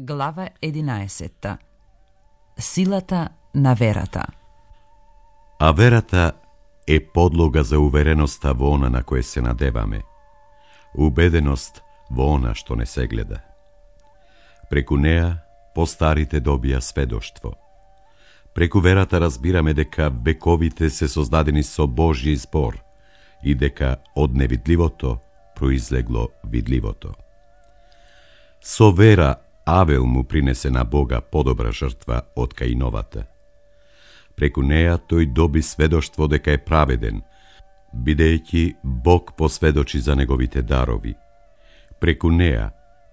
Глава 11. Силата на верата. А верата е подлога за увереноста во она на кое се надеваме, убеденост во она што не се гледа. Преку неа постарите добија сведоштво. Преку верата разбираме дека вековите се создадени со Божји збор и дека од невидливото произлегло видливото. Со вера Авел му принесе на Бога подобра жртва од Каиновата. Преку неа тој доби сведоштво дека е праведен, бидејќи Бог посведочи за неговите дарови. Преку неа,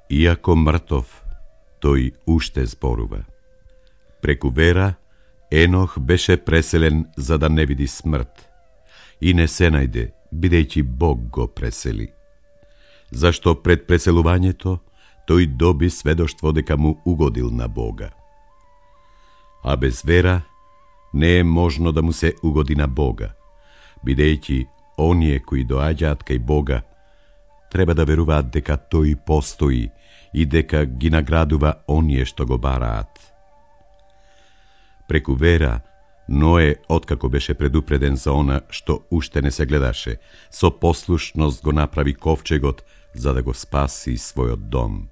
иако мртов, тој уште зборува. Преку вера, Енох беше преселен за да не види смрт и не се најде, бидејќи Бог го пресели. Зашто пред преселувањето тој доби сведоштво дека му угодил на Бога. А без вера не е можно да му се угоди на Бога, бидејќи оние кои доаѓаат кај Бога треба да веруваат дека тој постои и дека ги наградува оние што го бараат. Преку вера, Ное, откако беше предупреден за она што уште не се гледаше, со послушност го направи ковчегот за да го спаси својот дом.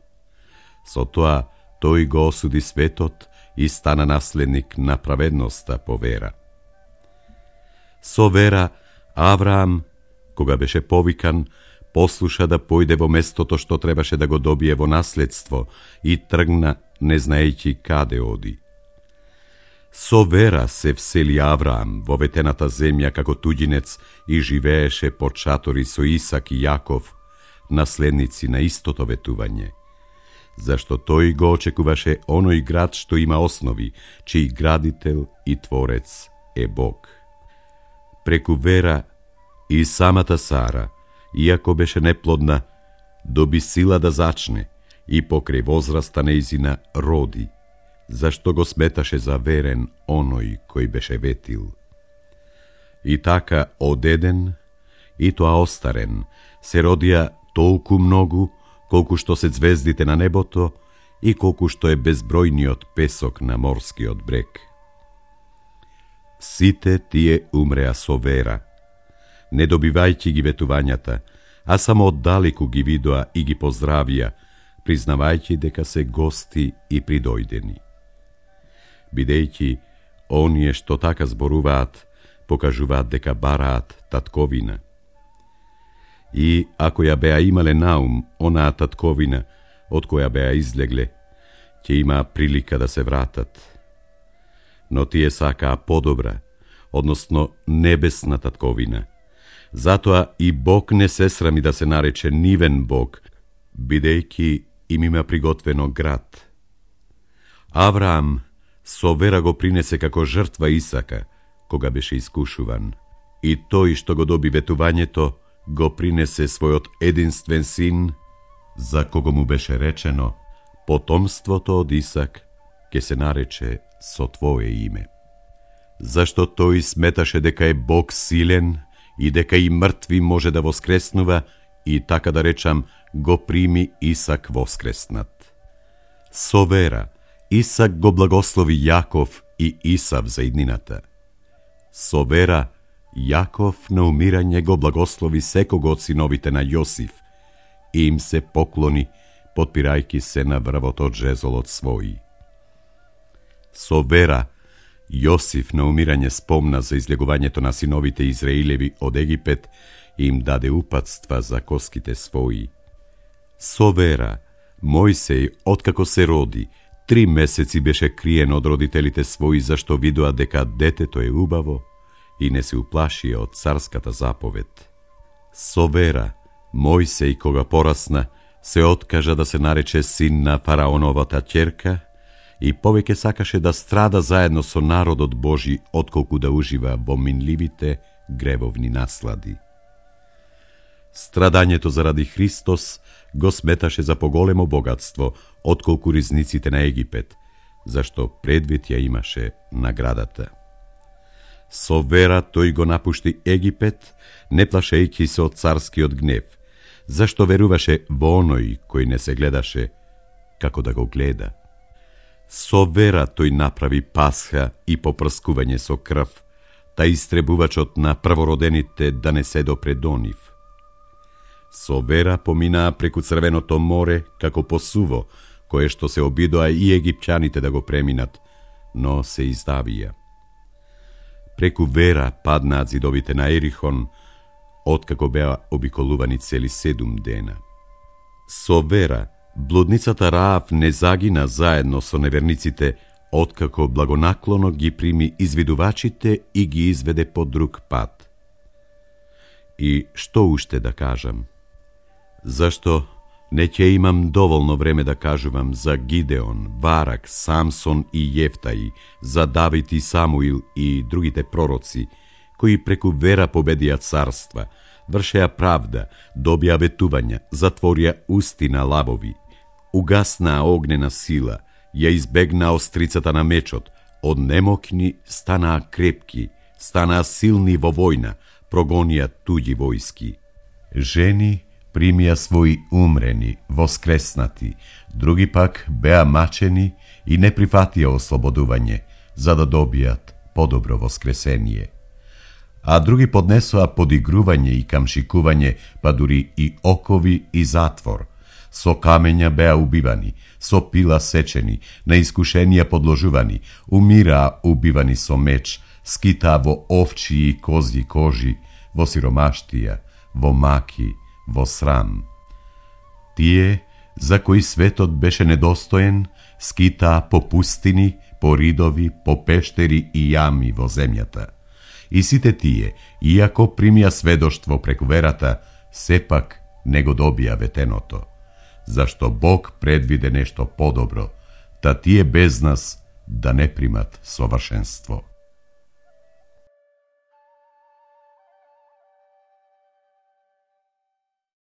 Со тоа, тој го осуди светот и стана наследник на праведноста по вера. Со вера, Авраам, кога беше повикан, послуша да појде во местото што требаше да го добие во наследство и тргна, не знаејќи каде оди. Со вера се всели Авраам во ветената земја како туѓинец и живееше под шатори со Исак и Јаков, наследници на истото ветување, зашто тој го очекуваше оној град што има основи, чиј градител и творец е Бог. Преку вера и самата Сара, иако беше неплодна, доби сила да зачне и покрај возраста нејзина роди, зашто го сметаше за верен оној кој беше ветил. И така од еден, и тоа остарен, се родија толку многу, колку што се звездите на небото и колку што е безбројниот песок на морскиот брег. Сите тие умреа со вера, не добивајќи ги ветувањата, а само оддалеку ги видоа и ги поздравија, признавајќи дека се гости и придојдени. Бидејќи оние што така зборуваат, покажуваат дека бараат татковина. И ако ја беа имале наум онаа татковина од која беа излегле, ќе имаа прилика да се вратат. Но тие сакаа подобра, односно небесна татковина. Затоа и Бог не се срами да се нарече нивен Бог, бидејќи им има приготвено град. Авраам со вера го принесе како жртва Исака, кога беше искушуван. И тој што го доби ветувањето, го принесе својот единствен син, за кого му беше речено, потомството од Исак ќе се нарече со твое име. Зашто тој сметаше дека е Бог силен и дека и мртви може да воскреснува, и така да речам, го прими Исак воскреснат. Со вера, Исак го благослови Јаков и Исав за иднината. Со вера, Јаков на умирање го благослови секого од синовите на Јосиф и им се поклони, потпирајќи се на врвот од жезолот свој. Со вера, Јосиф на умирање спомна за излегувањето на синовите Израилеви од Египет и им даде упатства за коските своји. Со вера, Мојсеј, откако се роди, 3 месеци беше криен од родителите своји, зашто видоа дека детето е убаво и не се уплашија од царската заповед. Со вера, Мојсеј, кога порасна, се откажа да се нарече син на фараоновата ќерка и повеќе сакаше да страда заедно со народот Божи, отколку да ужива во минливите гревовни наслади. Страдањето заради Христос го сметаше за поголемо богатство, отколку ризниците на Египет, зашто предвид ја имаше наградата. Со вера тој го напушти Египет, не плашејќи се од царскиот гнев, зашто веруваше во оној кој не се гледаше како да го гледа. Со вера тој направи пасха и попрскување со крв, та истребувачот на првородените да не се допре до нив. Со вера поминаа преку Црвеното море како по суво, кое што се обидоа и египчаните да го преминат, но се издавија. Преку вера паднаат зидовите на Ерихон, откако беа обиколувани цели 7 дена. Со вера блудницата Раав не загина заедно со неверниците, откако благонаклоно ги прими извидувачите и ги изведе по друг пат. И што уште да кажам? Зашто не ќе имам доволно време да кажувам за Гидеон, Варак, Самсон и Јефтаи, за Давид и Самуил и другите пророци, кои преку вера победија царства, вршеа правда, добија ветувања, затворија усти на лавови, угаснаа огнена сила, ја избегнаа острицата на мечот, од немокни станаа крепки, станаа силни во војна, прогонија туѓи војски. Жени примија своји умрени, воскреснати, други пак беа мачени и не прифатија ослободување, за да добијат подобро воскресение. А други поднесоа подигрување и камшикување, па дури и окови и затвор. Со камења беа убивани, со пила сечени, на искушенија подложувани, умираа убивани со меч, скитаа во овчи и козји кожи, во сиромаштија, во маки, во срам. Тие, за кои светот беше недостоен, скитаа по пустини, по ридови, по пештери и јами во земјата. И сите тие, иако примија сведоштво преку верата, сепак не го добија ветеното, зашто Бог предвиде нешто подобро, та тие без нас да не примат совршенство.